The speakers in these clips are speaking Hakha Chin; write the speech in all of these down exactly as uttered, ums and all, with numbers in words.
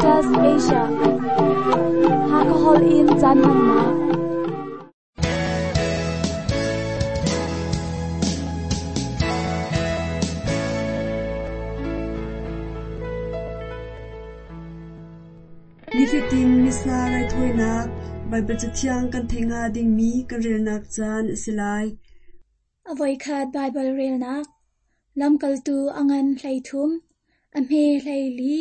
Adventist Asia. Hakahol in caan hmannak. Nifatin Missa raithawinak Baibal Cathiang kan theih hnga dingmi kan relnak caan a si lai. A voikhat Baibal relnak Lamkaltu a ngan hleithum, a hme hleili,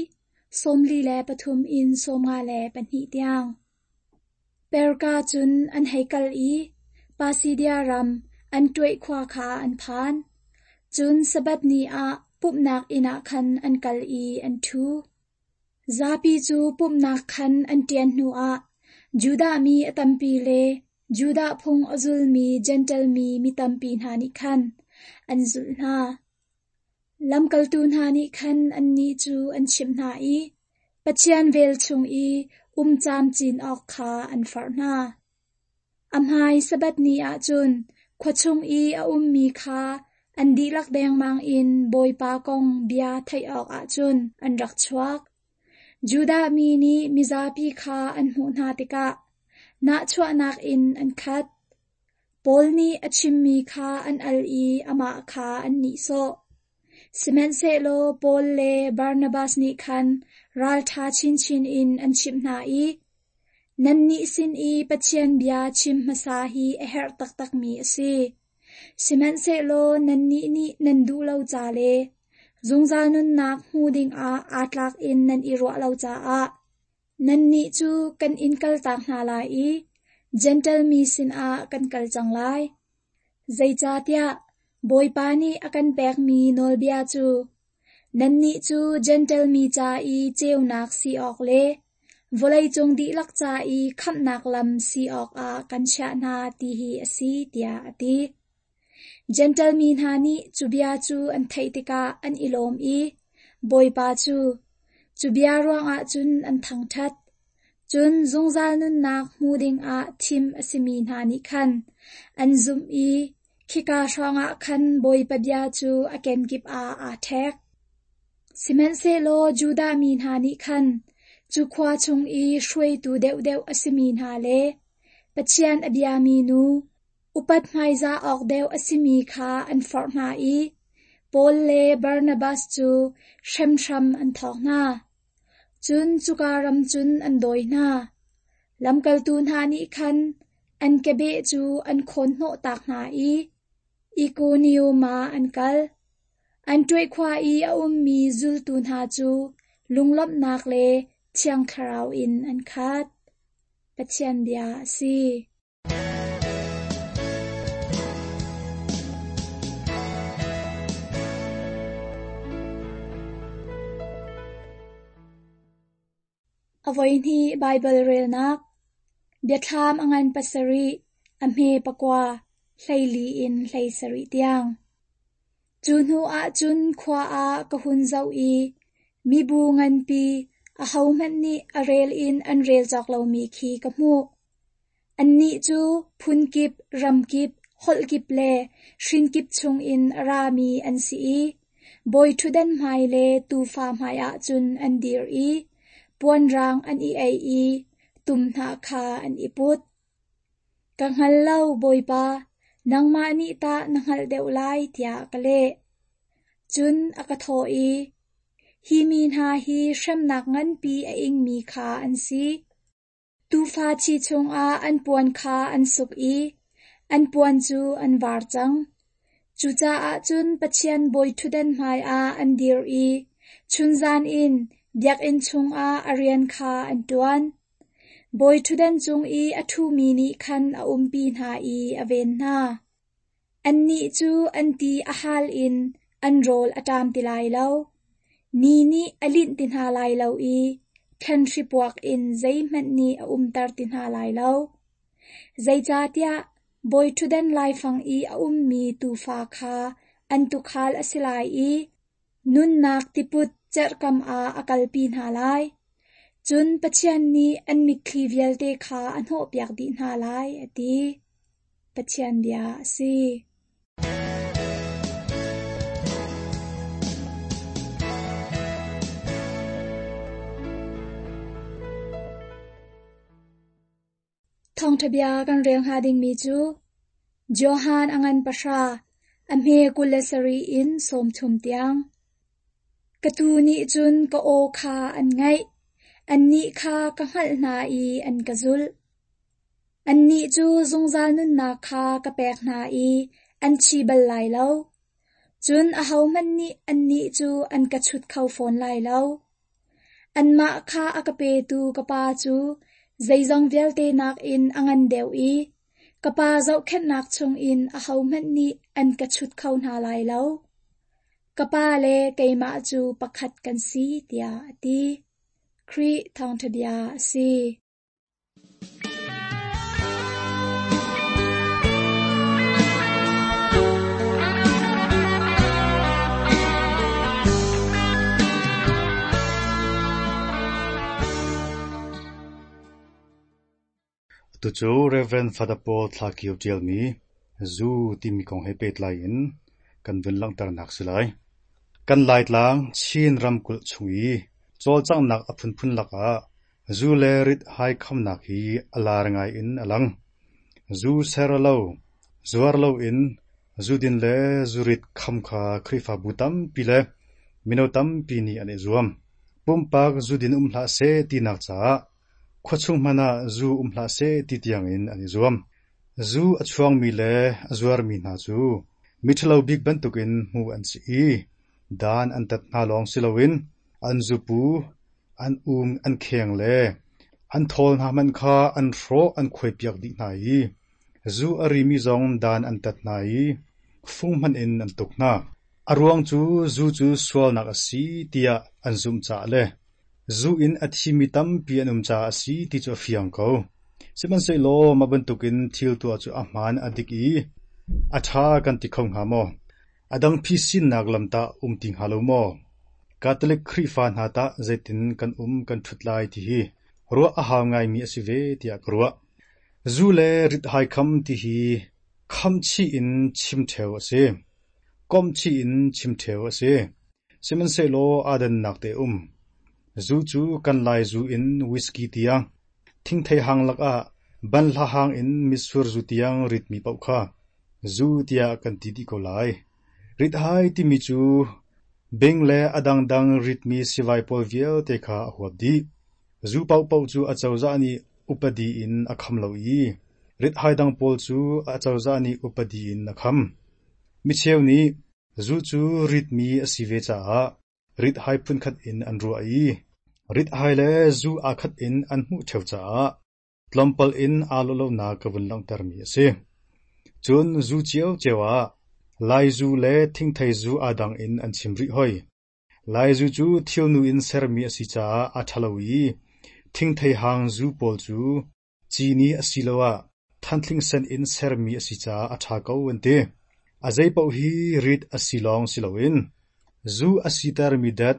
sawmli le pathum in sawmnga le pahnih tiang. Perga cun an hei kal i Pisidia ram Antioch khua kha an phan. Cun Sabbath ni ah pumhnak inn ah khan an kal i an ṭhu. Zapi cu pumhnak khan an ṭian hnuah Judah mi a tampi le Judah phung a zulmi Jentail mi mi tampi hna nih khan an zulh hna. Lamkaltu hna nih khan annih cu an chimh hna i Pathian vel chung i um camcin awk kha an forh hna. A hmai Sabbath ni ah cun khua chung i a ummi kha an dihlak dengmang in Bawipa kong bia theih awkah cun an rak chuak. Judah mi nih mizapi kha an hmuh hna tikah nahchuahnak in an khat. Paul nih a chimmi kha an al i amah kha an nihsawh. Sihmanhsehlaw Paul le Barnabas nih khan ralṭha chinchin in an chimh hna i, Nannih sin i Pathian bia chim hmasa hi a herh taktakmi a si. Sihmanhsehlaw nannih nih nan duh lo ca le zungzal nunnak hmu dingah aa tlak in nan i ruah lo caah nannih cu kan in kaltak hna lai i Jentail mi sinah kan kal cang lai. Zeicahtiah Bawipa nih a kan pekmi nawlbia cu nannih cu Jentail mi ca i ceunak si awk le vawleicung dihlak ca i khamhnak lam si awkah kan chiah hna ti hi a si, tiah a ti. Jentail mi hna nih cu bia cu an theih tikah an i lawm i Bawipa cu cu bia ruangah cun an thangṭhat. Cun zungzal nunnak hmu dingah thim a simi hna nih khan an zumh i khika hrawngah khan Bawipa bia cu a kenkip ah aa ṭhek. Sihmanhsehlaw Judah mi hna nih khan cu khua chung i hruaitu deuhdeuh a simi hna le Pathian a biami nu upat hmaizah awk deuh a simi kha an forh hna i Paul le Barnabas cu hremhram an thawk hna. Cun cuka ram cun an dawi hna. Lamkaltu hna nih khan an kebeh cu an khawn hnawh tak hna i Ikonium ah an kal. Antioch khua i a ummi zultu hna cu lunglawmhnak le Thiang Thlarau in an khat. Pathian bia a si. A voihnih Baibal relnak Biathlam a ngan pasarih, a hme pakua, hleili in hleisarih tiang. Cu hnu ah cun khua ah ka hun zoh i mibu nganpi ahohmanh nih a rel in an rel cawk lomi khi ka hmuh. Annih cu phunkip, ramkip, holhkip le hrinkip chungin a rami an si i bawiṭhutdan hmai le tuufa hmaiah cun an dir i puanrang an i aih i tum hnah kha an i put. Ka hngal lo, Bawipa, nangmah nih tah na hngalh deuh lai, tiah ka leh. Cun a ka thawh i, Hi mi hna hi hremnak nganpi a ingmi kha an si. Tuufa thi chungah an puan kha an suk i an puan cu an var cang. Cucaah cun Pathian bawiṭhutdan hmaiah an dir i chunzan in biakinn chungah a rian kha an ṭuan. Bawiṭhutdan cung i a ṭhumi nih khan a umpi hna i a ven hna. Annih cu an ti a hal in an rawl a ṭam ti lai lo. Ni nih a linh ti hna lai lo i thlanhri puak in zeihmanh nih a umter ti hna lai lo. Zeicahtiah bawiṭhutdan laifang i a ummi tuufa kha an tuukhal a si lai i nunnak tiput cerhkam ah a kalpi hna lai. Cun Pathian nih an mitthli vialte kha a hnawhpiak dih hna lai, a ti. Pathian bia a si. Thawngṭha bia kan rel hnga dingmi cu Johan a ngan pahra, a hme kul le sarih in sawmthum tiang. Ka tuu nih cun ka aw kha an ngaih, annih kha ka hngalh hna i an ka zulh. Annih cu zungzal nunnak kha ka pek hna i an thi bal lai lo. Cun ahohmanh nih annih cu an ka chut kho fawn lai lo. Anmah kha a ka petu ka Pa cu zeizong vialte nakin a ngan deuh i ka Pa zohkhenhnak chungin ahohmanh nih an ka chut kho hna lai lo. Ka Pa le keimah cu pakhat kan si, tiah a ti. Khrih thawngṭha bia a si. Tucu Reverend Father Paul Thla Kio ṭialmi Zu timi kong he pehtlai in kan vun langhternak si lai. Kan Laitlang Chin ramkulh chung i cawlcanghnak a phunphun lakah zu le rit-hai khamnak hi a lar ngai in a lang. Zu ser lo, zuar loin zudin le zurit kham kha Khrihfabu tampi le mino tampi nih an i zuam. Pumpak zudin um hlah seh tinak caah khuachung hmanh ah zu um hlah seh ti tiangin an i zuam. Zu a chuangmi le a zuarmi hna cu miṭhalo bik bantukin hmuh an si i dan an tat hna lawng si loin an zupu, an um an kheng le an thawl hna hmanh kha an hrawh an khuaipiak dih hna i zu a rimi zong dan an tat hna i fung hmanh in an tuk hna. A ruang cu zu cu sualnak a si tiah an zumh caah le zu in a thimi tampi an um caah a si ti cu a fiang ko. Sihmanhsehlaw mah bantukin thil tuah cu a hmaan a dik i a ṭha kan ti kho hnga maw? A dang phisinnak lam tah um ti hnga lo maw? Catholic Khrihfa hna tah zeitin kan um kan ṭhut lai ti hi ruah a hau ngaimi a si ve tiah ka ruah. Zu le rit-hai kham ti hi khamchih in chim ṭheo a si. Komhchih in chim ṭheo a si. Sihmanhsehlaw aa dannak te um. Zu cu kan Lai zu in whisky tiang, thingthei hang lakah banhla hang in mitsur zu tiang ritmi paoh kha zu tiah kan ti dih ko lai. Rit-hai timi cu bing le a dangdang ritmi sivai pawl vialte kha a huap dih. Zu paohpaoh cu acozah nih upadi in a kham lo i rit-hai dang pawl cu acozah nih upadi in a kham. Micheu nih zu cu ritmi a si ve caah rit-hai phunkhat in an ruah i rit-hai le zu aa khat in an hmuh ṭheo caah tlawmpal in aa lawh lonak ka vun langhtermi a si. Cun zu ciocio ah Lai zu le thingthei zu aa dang in an chim rih hoi. Lai zu cu thilnu in sermi a si caah a ṭhalo i thingthei hang zu pawl cu cini asiloah thanthling sen in sermi a si caah a ṭha ko an ti. A zeipaoh hi rit a si lawng si loin zu a sitermi dat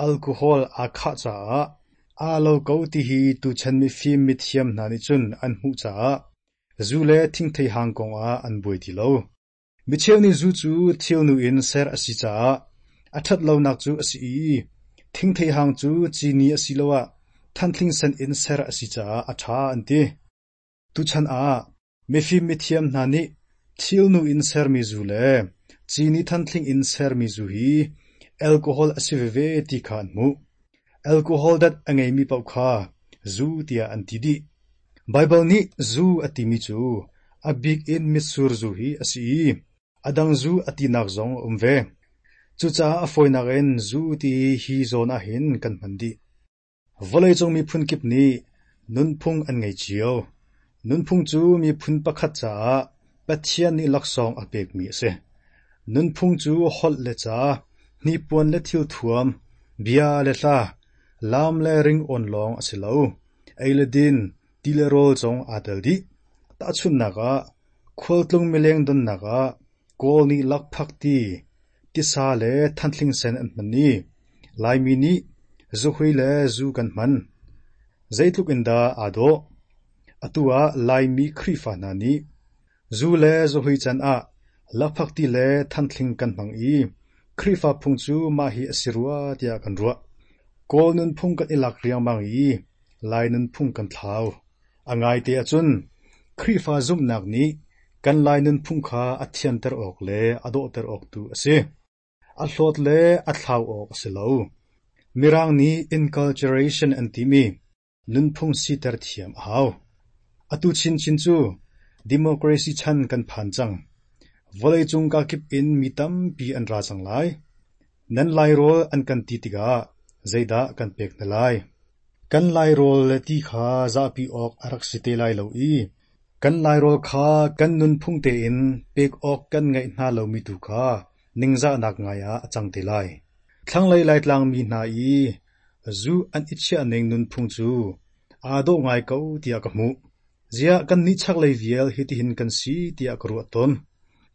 alcohol aa khah caah aa lo ko ti hi tuchan mifim mithiam hna nih cun an hmuh caah zu le thingthei hang kongah an buai ti lo. Micheu nih zu cu thilnu in ser a si caah a ṭhat lonak cu a si i thingthei hang cu cini asiloah thanthling sen in ser a si caah a ṭha an ti. Tuchan ah mifim mithiam hna nih thilnu in sermi zu le cini thanthling in sermi zu hi alcohol a si veve ti kha an hmuh. Alcohol dat a ngeimi paoh kha zu tiah an ti dih. Baibal nih zu a timi cu a bik in mitsur zu hi a si i a dang zu a tinak zong a um ve. Cucaah a fawinak in zu ti hi zawn ahhin kan hman dih. Vawleicung miphun kip nih nunphung an ngei cio. Nunphung cu miphun pakhat caah Pathian nih laksawng a pekmi a si. Nunphung cu holh le ca, hnipuan le thilthuam, bia le hla, laam le ringawn lawng a si lo. Ei le din, ti le rawl zong aa tel dih. Tahchunhnak ah, khualtlung mileng donnak ah Kawl nih lakphak ti, tisa le thanthling sen an hman i Laimi nih zuhui le zu kan hman. Zeitluk in dah aa dawh. Atu ah Laimi Khrihfa hna nih zu le zuhui can ah lakphak ti le thanthling kan hmang i Khrihfa phung cu mah hi a si rua tiah kan ruah. Kawl nunphung kan i lak riangmang i Lai nunphung kan thlau. A ngaite ahcun Khrihfa zumhnak nih kan Lai nunphung kha a thianter awk le a dawhter awk tu a si. A hlawt le a thlau awk a si lo. Mirang nih inculturation an timi nunphung siter thiam a hau. Atu chinchin cu democracy chan kan phan cang. Vawleicung kakip in mi tampi an ra cang lai. Nan Lairawl an kan ti tikah zeidah kan pek hna lai? Kan Lairawl le ti kha zahpi awk a rak si te lai lo i kan Lairawl kha kan nunphung tein pek awk kan ngeih hna lomi tu kha ningzahnak ngai ah a cang te lai. Thlanglei Laitlang mi hna i zu an i chiahning nunphung cu aa dawh ngai ko tiah ka hmuh. Ziah kannih chaklei vial hitihin kan si tiah ka ruah tawn.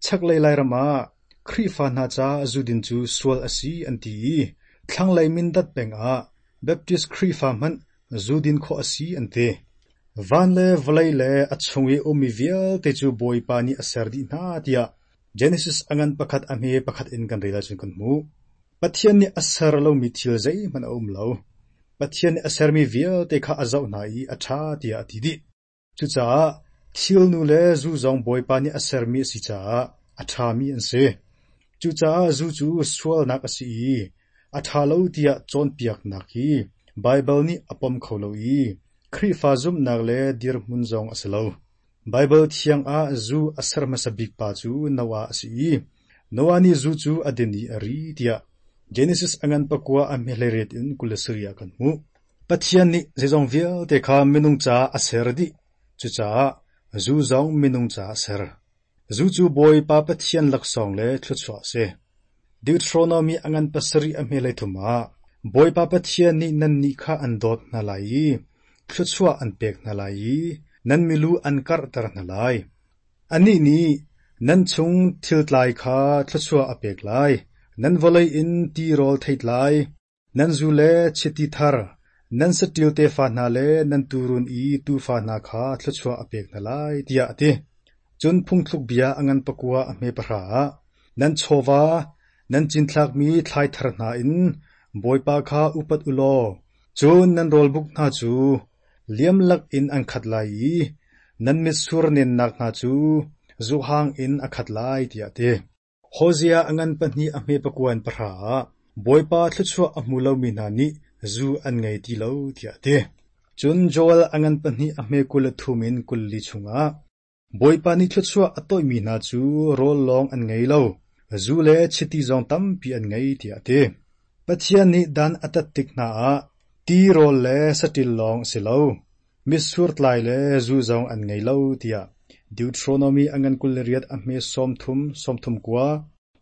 Chaklei Lairam ah Khrihfa hna ca zudin cu sual a si an ti i thlanglei Mindat peng ah Baptist Khrihfa hmanh zudin khawh a si an ti. Van le vawlei le a chung i ummi vialte cu Bawipa nih a ser dih hna tiah Genesis a ngan pakhat a hme pakhat in kan rel ahcun kan hmuh. Pathian nih a ser lomi thil zeihmanh a um lo. Pathian nih a sermi vialte kha a zoh hna i a ṭha tiah a ti dih. Cucaah thilnu le zu zong Bawipa nih a sermi a si caah a ṭhami an si. Cucaah zu cu sualnak a si i a ṭha lo tiah cawnpiaknak hi Baibal nih a pom kho lo i Khrihfa zumhnak le dirhmun zong a si lo. Baibal thiang ah zu a ser hmasa bik pa cu Noah a si i Noah nih zu cu a din i a ri tiah Genesis a ngan pakua a hme hleiriat in kul le sarih ah kan hmuh. Pathian nih zeizong vialte kha minung caah a ser dih. Cucaah zu zong minung caah a ser. Zu cu Bawipa Pathian laksawng le thluachuah a si. Deuteronomy a ngan pasarih a hme hleithum ah Bawipa Pathian nih nannih kha an dawt hna lai i thluachuah an pek hna lai i nan milu an karhter hna lai. Anih nih nan chung thiltlai kha thluachuah a pek lai. Nan vawlei in tirawl theitlai, nan zu le chiti thar, nan saṭil tefa hna le nan tuurun i tuufa hna kha thluachuah a pek hna lai, tiah a ti. Cun phungthluk bia a ngan pakua a hme pahra ah nan chawva, nan cinthlakmi thlai thar hna in Bawipa kha upat u law, cun nan rawlbuk hna cu liam lakin an khat lai i nan mitsur nennak hna cu zuhang in a khat lai, tiah a ti. Hosea a ngan pahnih a hme pakua in pahra ah Bawipa thluachuah a hmu lomi hna nih zu an ngei ti lo, tiah a ti. Cun Joel a ngan pahnih a hme kul le thum in kul li chungah Bawipa nih thluachuah a toihmi hna cu rawl lawng an ngei lo, zu le chiti zong tampi an ngei, tiah a ti. Pathian nih dan a tat tik hna ah tirawl le saṭil lawng a si lo, mitsur tlai le zu zong an ngei lo, tiah Deuteronomy a ngan kul le riat a hme sawmthum sawmthum kua,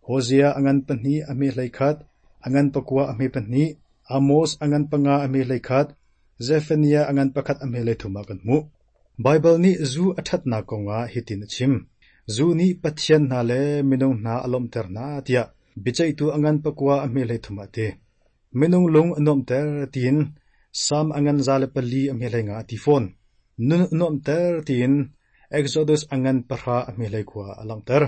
Hosea a ngan pahnih a hme hleikhat, a ngan pakua a hme pahnih, Amos a ngan panga a hme hleikhat, Zephaniah a ngan pakhat a hme hleithum ah kan hmuh. Baibal nih zu a ṭhatnak kongah hitin a chim. Zu nih pathian hna le minung hna a lawmhter hna tiah biaceihtu a ngan pakua a hme hleithum ah a ti. Minung lung a nuamhter tiin Salm a ngan za le pali a hme hleinga a ti fawn. Nun a nuamhter tiin Exodus a ngan pahra a hme hleikhua a langhter.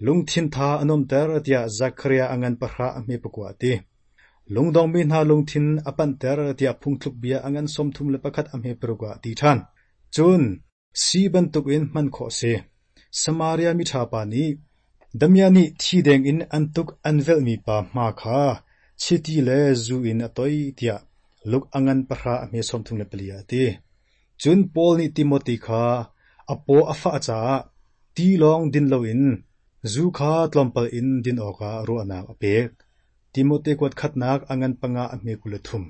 Lungthin tha a nuamhter tiah Zekhariah a ngan pahra a hme pakua a ti. Lungdongmi hna lungthin a panhter tiah phungthluk bia a ngan sawmthum le pakhat a hme paruk ah a ti ṭhan. Cun si bantukin hman khawh a si. Samaria miṭha pa nih damiah nih thi deng in an tuk an velhmi pa hma kha chiti le zu in a toih tiah Luke a ngan pahra a hme sawmthum le pali ah a ti. Cun Paul nih Timote kha a paw a fah caah ti lawng din loin zu kha tlawmpal in din awkah ruahnak a pek. Timote kuat khatnak a ngan panga a hme kul le thum.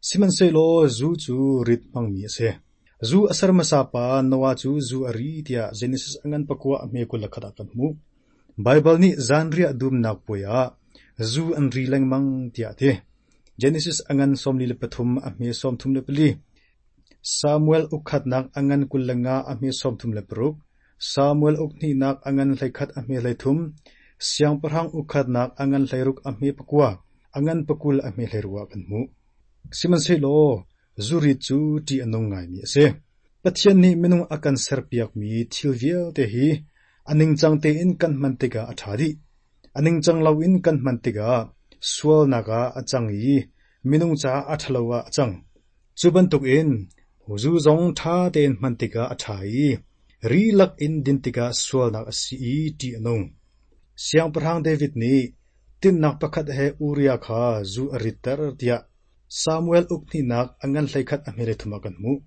Sihmanhsehlaw zu cu rit hmangmi a si. Zu a ser hmasa pa Noah cu zu a ri tiah Genesis a ngan pakua a hme kul le khat ah kan hmuh. Baibal nih zanriah dumnak puai ah zu an ri lengmang tiah a ti. Genesis a ngan sawmli le pathum a hme sawmthum le pali. Samuel ukkhatnak a ngan kul le nga a hme sawmthum le paruk. Samuel ukhnihnak a ngan hleikhat a hme hleithum. Siangpahrang ukkhatnak a ngan hleiruk a hme pakua, a ngan pakul a hme hleiruk ah kan hmuh. Sihmanhsehlaw zurit cu ṭih a nung ngaimi a si. Pathian nih minung a kan serpiakmi thil vialte hi a ningcang tein kan hman tikah a ṭha dih. A ningcang loin kan hman tikah sualnak ah a cang i minung caah a ṭhalo ah a cang. Cu bantukin zu zong ṭha tein hman tikah a ṭha i Ri lak in din tikah sualnak a si i ṭih a nung. Siangpahrang David nih tinhnak pakhat he Uriah kha zu a ritter tiah Samuel uk hnihnak a ngan hleikhat a hme thum ah kan hmuh.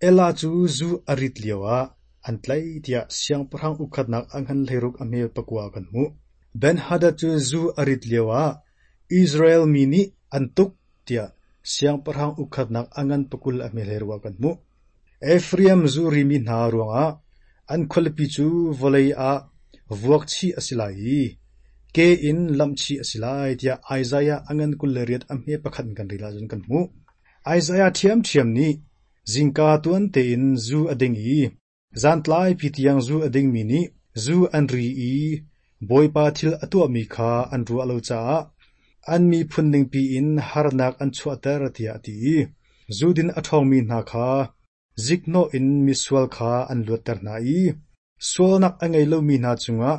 Ela cu zu a rit lioah an tlaih tiah siangpahrang ukkhatnak a ngan hleiruk a hme pakua ah kan hmuh. Ben-Hadad cu zu a rit lioah Israel mi nih an tuk tiah siangpahrang ukkhatnak a ngan pakul a hme hleiruk ah kan hmuh. Ephraim zu rimi hna ruangah an khualipi cu vawlei ah vuak chih a si lai i ke in lamh chih a si lai tiah Isaiah a ngan kul le riat a hme pakhat in kan rel ahcun kan hmuh. Isaiah ṭhiamṭhiam nih zingka tuan tein zu a ding i zantlaipi tiang zu a dingmi nih zu an ri i Bawipa thil a tuahmi kha an ruah lo caah an miphun ningpi in harnak an chuahter tiah a ti i zudin a ṭhawngmi hna kha ziknawh in misual kha an luatter hna i sualnak a ngei lomi hna cungah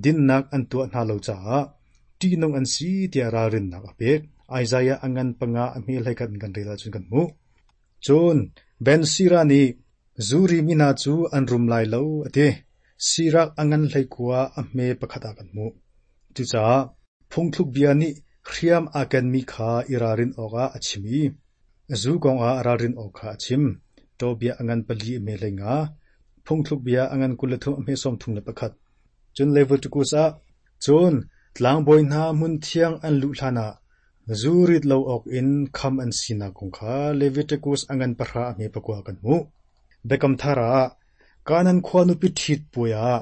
dinnak an tuah hna lo caah ṭihnung an si tiah ralrinnak a pek. Isaiah a ngan panga a hme hleikhat in kan rel ahcun kan hmuh. Cun Ben Sira nih zu rimi hna cu an rum lai lo a ti. Sirak a ngan hleikua a hme pakhat ah kan hmuh. Cucaah phungthluk bia nih hriam aa kenmi kha i ralrin awkah a chim i zu kongah ralrin awk kha a chim. Tobia a ngan pali a hme hlei nga, phungthluk bia a ngan kul le thum a hme sawm thum le pakhat. Cun Leviticus ah, cun tlangbawi hna hmun thiang an luh hlanah zu rit lo awk in kham an sinak kong kha Leviticus a ngan pahra a hme pakua kan hmuh. Biakam thar ah Kanan khua nupi ṭhit puai ah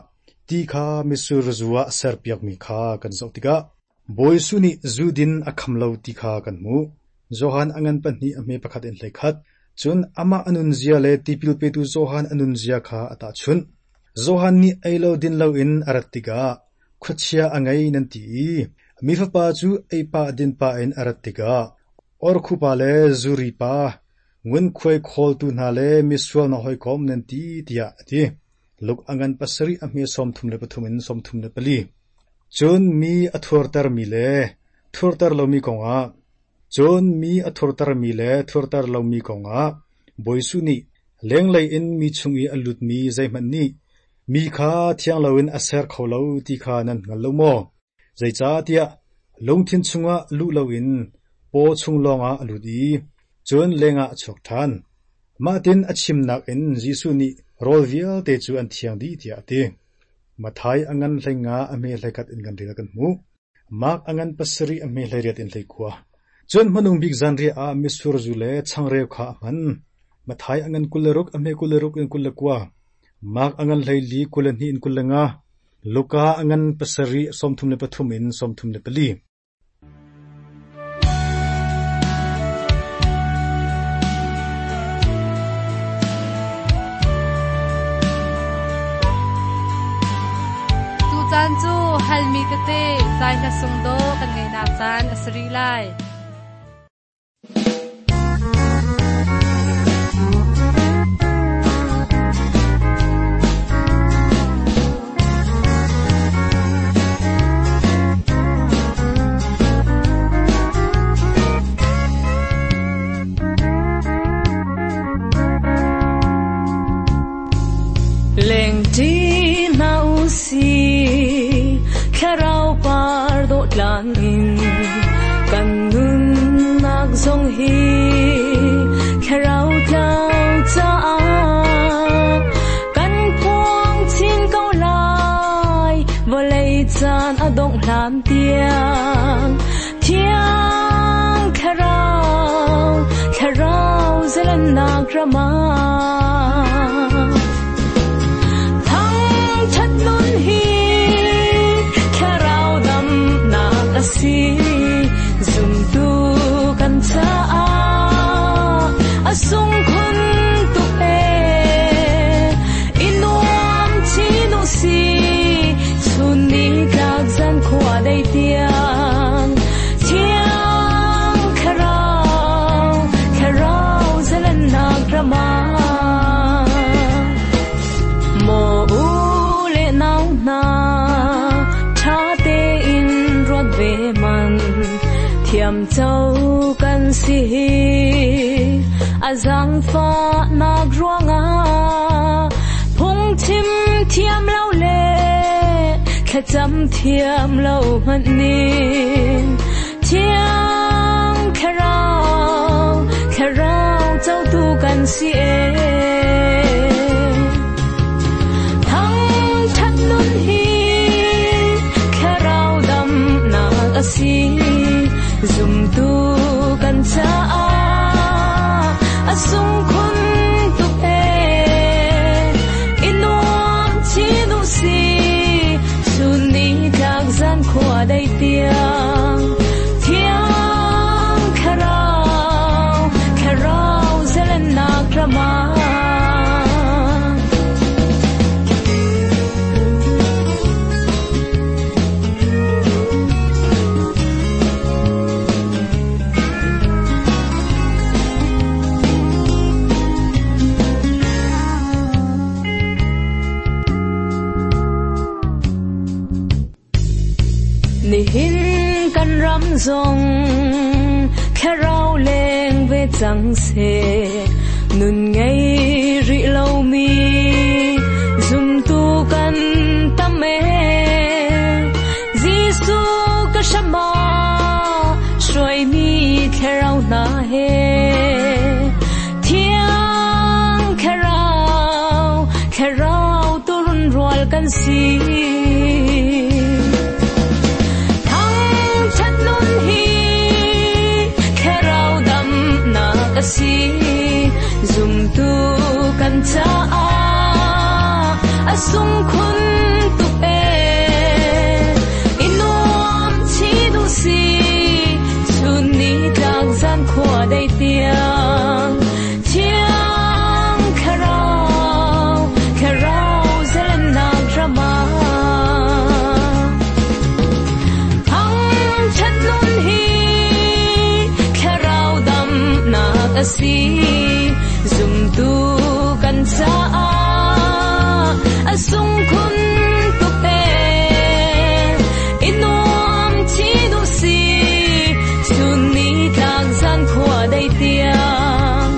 ti kha mitsur zu ah serpiakmi kha kan zoh tikah Bawi Jesuh nih zu din a kham lo ti kha kan hmuh. Johan a ngan pahnih a hme pakhat in hleikhat. Cun amah a nunzia le tipil petu Johan a nunzia kha a tahchunh. Johan nih ei lo din loin a rat tikah khuachia a ngei nan ti i mi fapa cu ei pah din pah in a rat tikah orkhupa le zuri pa ngunkhuai khawltu hna le misual hna hawikom nan ti tiah a ti. Luk a ngan pasarih a hme sawmthum le pathum in sawmthum le pali. Cun mi a thurtermi le thurter lomi kongah cun mi a thurtermi le thurter lomi kongah Bawi Jesuh nih lenglei in mi chung i a lutmi zeihmanh nih mi kha thiang loin a ser kho lo ti kha nan hngal lo maw? Zeicahtiah lungthin chungah luh loin paw chung lawngah a lut i cun lengah a chuak ṭhan. Mahtin a chimnak in Jesuh nih rawl vialte cu an thiang dih tiah a ti. Matthai a ngan hlei nga a hme hleikhat in kan rel kan hmuh. Mark a ngan pasarih a hme hleiriat in hleikhua. Cun hmanung bik zanriah ah mitsur zu le changreu kha a hman. Matthai a ngan kul le ruk a hme kul le ruk in kul le kua. Mark a ngan hleili kul le hnih in kul le nga. Luka a ngan pasarih sawmthum le pathum in sawmthum le pali. Tucaan cu halmi tete zai hla sung do kan ngeinak caan a si rih lai. Lengti na usi thlarau par do tlan in kan nun nak zong hi thlarau tlau cha kan phuang chin ko lai vawlei caan a dong hlan tiang thiang thlarau thlarau zalan nak rama thang that nun hi thlarau dam nak a si zum tu kan cha a sung khun tu e inuam chi nu si chun ni tlak zan khua dei tiang thiang thlarau thlarau zalan nak rama mo u le nau na tha te in rot ve man thiam chau kan si a zang fa nak ruanga phung chim Thiam lo le thlacam thiam lo hmanh ning Thiang Thlarau Thlarau cotu kan si e Thang that nun hi Thlarau dam nak a si Zumtu kan caah a sung khun tuk e I nuam chin u si chun ni tlak zan khua dei tiang Thiang Thlarau Thlarau zelennak rama Nihin kan ram zong thlarau leng ve cang se nun ngei ri lo mi zumtu kan tam e Jesu ka shama shuai mi thlarau na he Thiang thlarau thlarau turun rual kan si Thang that nun hi thlarau dam nak a si zumtu kan caah a sung khun tuk e I nuam chin u si chun ni tlak zan khua dei tiang Thiang Thlarau Thlarau zelennak rama Thang that nun hi Thlarau dam nak a si zumtu kan caah a sung khun tuk e I nuam chin u si chun ni tlak zan khua dei tiang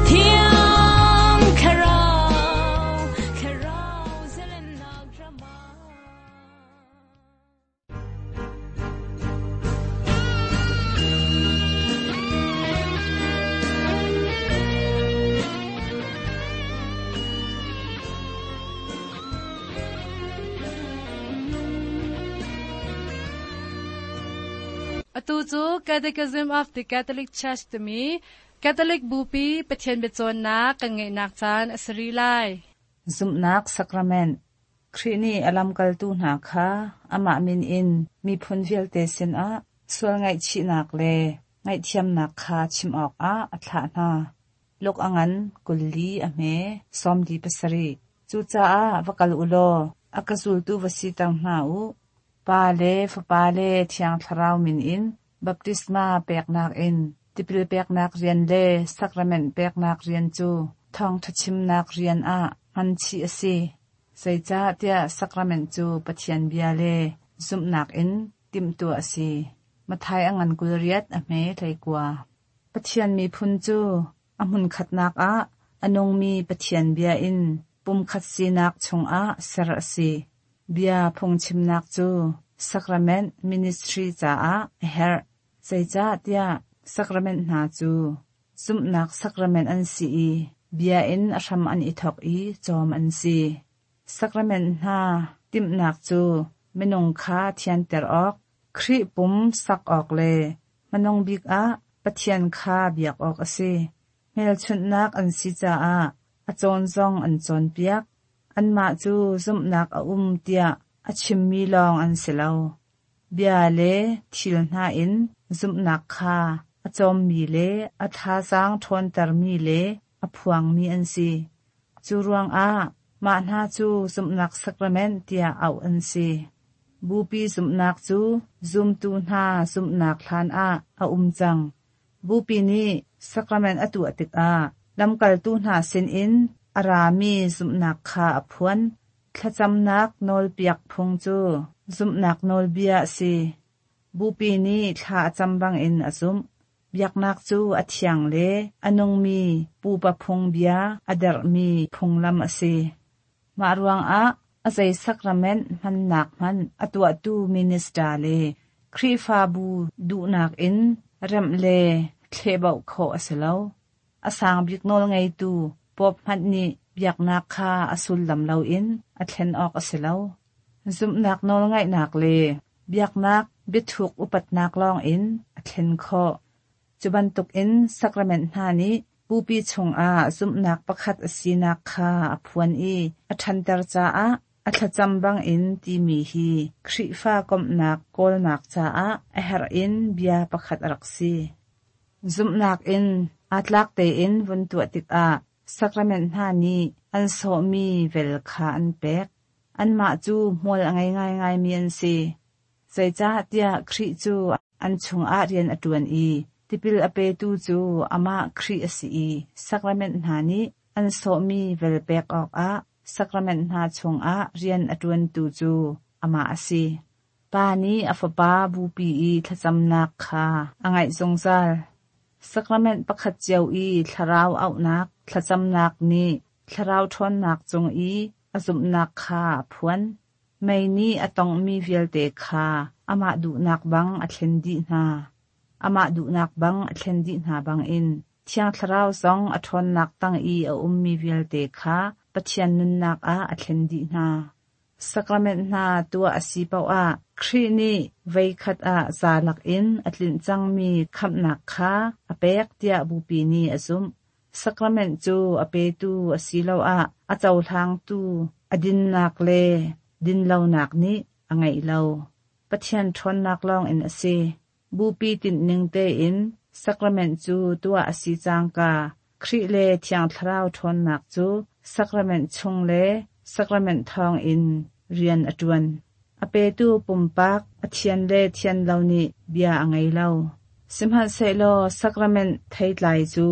Thiang Thlarau Thlarau zelennak rama Atu cu Catechism of the Catholic Church timi Catholic Bupi Pathian biacawnnak kan ngeihnak caan a si rih lai. Zumhnak Sacrament Khrih nih a lamkaltu hna kha amah min in miphun vialte sinah sual ngaihchihnak le ngaihthiamnak kha chim awkah a thlah hna. Luk a ngan kulli a hme sawmli pasarih. Cucaah va kal u law a ka zultu va siter hna u. Pa le Fapa le Thiang Thlarau min in baptisma peknak in tipil peknak rian le sacrament peknak rian cu thawngṭha chimnak rian ah hman chih a si. Zeicahtiah sacrament cu Pathian bia le zumhnak in timhtuah a si. Matthai a ngan kul riat a hme hleikua. Pathian miphun cu a hmunkhatnak ah a nungmi Pathian bia in pumkhat sinak chungah ser a si. Bia phungchimnak cu sacrament ministry caah a herh. Zeicahtiah sacrament hna cu zumhnak sacrament an si i bia in a hram an i thawk i cawm an si. Sacrament hna timhnak cu minung kha thianter awk, Khrih pum sak awk le hmanung bik ah Pathian kha biak awk a si. Hmelchunhnak an si caah a cawn zong an cawnpiak. Anmah cu zumhnak a um tiah a chimmi lawng an si lo. Bia le thil hna in zumhnak kha a cawmmi le a thazaang ṭhawntermi le a phuangmi an si. Cu ruangah mah hna cu zumhnak sacrament tiah auh an si. Bupi zumhnak cu zumtu hna zumhnak hlan ah a um cang. Bupi nih sacrament a tuah tikah lamkaltu hna sinin a rami zumhnak kha a phuan. Thlacamnak nawlpiak phung cu zumhnak nawlbia a si. Bupi nih thla a cam bangin a zumh. Biaknak cu a thiang le a nungmi pupa phungbia a derhmi phunglam a si. Mah ruangah A zei sacrament hmannak hmanh a tuahtu minister le Khrihfabu duhnak in remh le thlehbauh khawh a si lo. A sang bik nawl ngeitu Pope hmanh nih biaknak kha a sullam loin a thlen awk a si lo. Zumhnak nawlngaihnak le biaknak biathuk upatnak lawngin a thlen khawh. Cu bantukin sacrament hna nih bupi chungah zumhnak pakhat a sinak kha a phuan i a ṭhanter caah a thlacam bangin timi hi Khrihfa komhnak kawlnak caah a herh in bia pakhat a rak si. Zumhnak in aa tlak tein vun tuah tikah sacrament hna nih an sawhmi vel kha an pek. Anmah cu hmual a ngei ngaingaimi an si. Zeicahtiah Khrih cu an chungah rian a ṭuan i tipil a petu cu amah Khrih a si i sacrament hna nih an sawhmi vel pek awkah sacrament hna chungah rian a ṭuantu cu amah a si. Pa nih a fapa bupi i thlacamnak kha a ngaih zungzal. Sacrament pakhat cio i thlarau auhnak thlacamnak nih thlarau ṭhawnnak cung i a zumhnak kha a phuan. Mei nih a tonghmi vialte kha amah duhnak bang a thlen dih hna. Amah duhnak bang a thlen dih hna bangin Thiang Thlarau zong a ṭhawnnak tang i a ummi vialte kha Pathian nunnak ah a thlen dih hna. Sacrament hna tuah a si paoh ah Khrih nih voikhat ah zalak in a tlinh cangmi khamhnak kha a pek tiah bupi nih a zumh. Sacrament cu a petu asiloah a cohlangtu a dinnak le dinlonak nih a ngeih lo. Pathian ṭhawnnak lawngin a si. Bupi tinhning tein sacrament cu tuah a si cangka Khrih le Thiang Thlarau ṭhawnnak cu sacrament chung le sacrament thawngin rian a ṭuan. A petu pumpak a thian le thian lo nih bia a ngei lo. Sihmanhsehlaw sacrament theitlai cu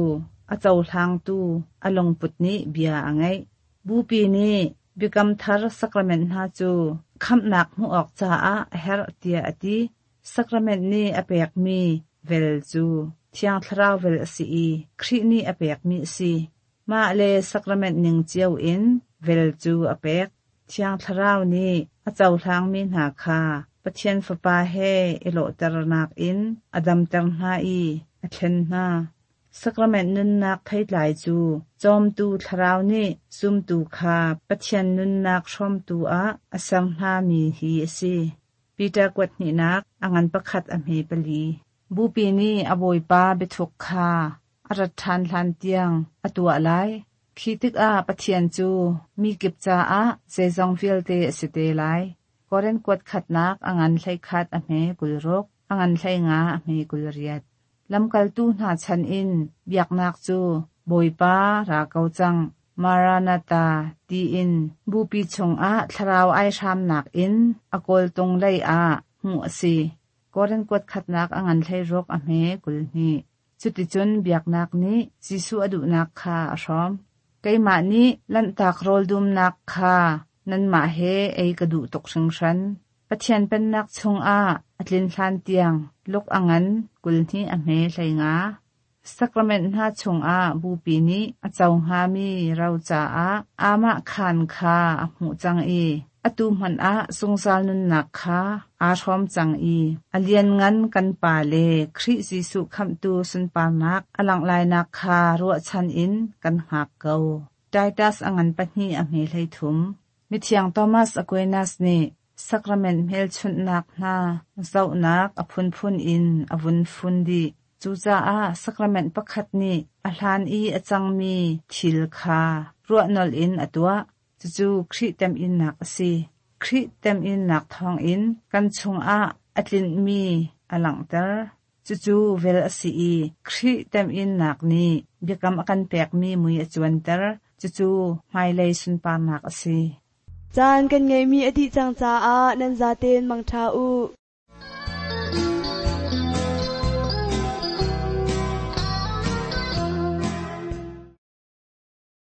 a cohlangtu a lungput nih bia a ngeih. Bupi nih biakam thar sacrament hna cu khamhnak hmuh awk caah a herh tiah a ti. Sacrament nih a pekmi vel cu Thiang Thlarau vel a si i Khrih nih a pekmi a si. Mah le sacrament ning cio in vel cu a pek. Thiang Thlarau nih a cohlangmi hna kha Pathian Fapa he i lawhternak in a damter hna i a thlen hna. Sacrament nunnak theitlai cu cawmtu thlarau nih zumtu kha Pathian nunnak hrawmtu ah a ser hnami hi a si. Peter kuat hnihnak a ngan pakhat a hme pali. Bupi nih a bawipa biathuk kha a rat ṭhan hlan tiang a tuah lai. Khi tikah Pathian cu mi kip caah zeizong vialte a si te lai. Korin kuat khatnak a ngan hlei khat a hme kul ruk, a ngan hlei nga a hme kul riat. Lamkaltu hna chan in biaknak cu Bawipa ra ko cang Maranatha tiin bupi chungah thlarau ai hramnak in a kawltung lei ah hmuh a si. Korin kuat khatnak a ngan hlei ruk a hme kul hnih. Cuticun biaknak nih Jesuh a duhnak kha a hrawm. Keimah nih lanhtak rawl dumnak kha nanmah he ei ka duh tuk hringhran. Pathian pennak chungah a tlin hlan tiang luk a ngan kul hnih a hme hlei nga. Sacrament hna chungah bupi nih a co hngami ro caah amah khan kha a hmuh cang i atu hmanh ah zungzal nunnak kha aa hrawm cang i a lianngan kan pa le Khrih Jesuh khamhtu sunparnak a langh lainak kha ruahchan in kan hngak ko. Titus a ngan pahnih a hme hlei thum. Mithiang Thomas Aquinas nih sacrament hmelchunhnak hna zohnak a phunphun in a vun fun dih. Cucaah sacrament pakhat nih a hlan i a cangmi thil kha ruahnolh in a tuah. Cucu Khrih temhinnak a si. Khrih temhinnak thawngin kan chungah a tlinhmi a langhter. Cucu vel a si i Khrih temhinnak nih biakam a kan pekmi mui a cuanter. Cucu hmailei sunparnak a si. Caan kan ngeihmi a dih cang caah nan zaten mangṭha u.